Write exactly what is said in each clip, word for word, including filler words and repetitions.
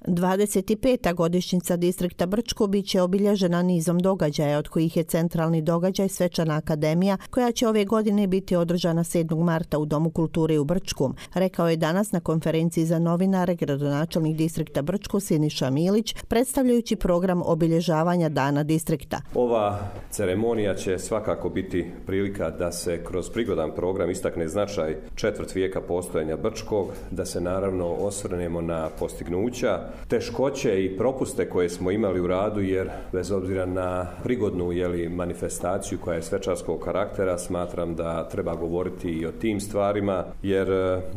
dvadeset peta godišnjica distrikta Brčko bit će obilježena nizom događaja, od kojih je centralni događaj Svečana akademija, koja će ove godine biti održana sedmog marta u Domu kulture u Brčkom, rekao je danas na konferenciji za novinare gradonačelnik distrikta Brčko Siniša Milić, predstavljajući program obilježavanja dana distrikta. Ova ceremonija će svakako biti prilika da se kroz prigodan program istakne značaj četvrt vijeka postojanja Brčkog, da se naravno osvrnemo na postignuća, teškoće i propuste koje smo imali u radu, jer bez obzira na prigodnu jeli, manifestaciju koja je svečarskog karaktera, smatram da treba govoriti i o tim stvarima, jer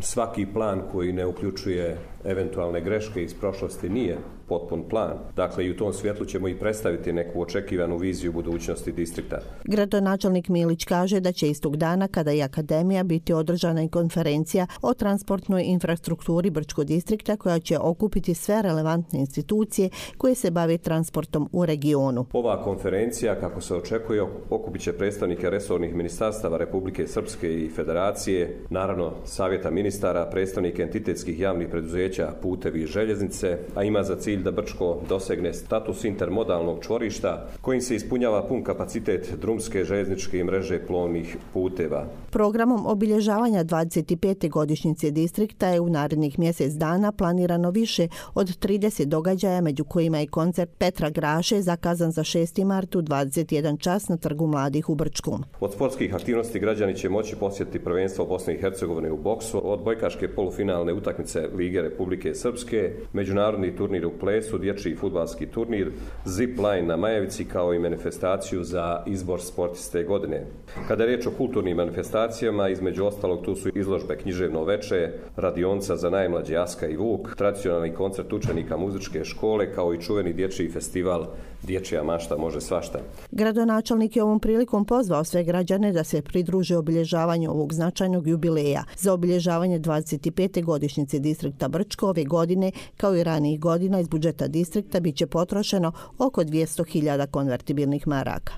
svaki plan koji ne uključuje eventualne greške iz prošlosti nije potpun plan. Dakle, i u tom svjetlu ćemo i predstaviti neku očekivanu viziju budućnosti distrikta. Gradonačelnik Milić kaže da će istog dana, kada i akademija, biti održana i konferencija o transportnoj infrastrukturi Brčkog distrikta, koja će okupiti sve relevantne institucije koje se bave transportom u regionu. Ova konferencija, kako se očekuje, okupit će predstavnike resornih ministarstava Republike Srpske i Federacije, naravno Savjeta ministara, predstavnike entitetskih javnih preduzeća, putevi i željeznice, a ima za cilj da Brčko dosegne status intermodalnog čvorišta kojim se ispunjava pun kapacitet drumske, željezničke mreže plovnih puteva. Programom obilježavanja dvadeset pete godišnjice distrikta je u narednih mjesec dana planirano više od trideset događaja, među kojima je koncert Petra Graše zakazan za šesti mart u dvadeset jedan čas na Trgu mladih u Brčkom. Od sportskih aktivnosti građani će moći posjetiti prvenstvo Bosne i Hercegovine u boksu, od bojkaške polufinalne utakmice Lige Republike Srpske, međunarodni turnir u plesu, dječji fudbalski turnir, zip line na Majevici, kao i manifestaciju za izbor sportiste godine. Kada je riječ o kulturnim manifestacijama, između ostalog tu su izložbe Književno veče, radionca za najmlađe Aska i Vuk, tradicionalni koncert učenika muzičke škole, kao i čuveni dječji festival Dječja mašta može svašta. Gradonačelnik je ovom prilikom pozvao sve građane da se pridruže obilježavanju ovog značajnog jubileja. Za obilježavanje dvadeset pete godišnjice distrikta Brčko ove godine, kao i ranijih godina, iz budžeta distrikta bit će potrošeno oko dvjesto hiljada konvertibilnih maraka.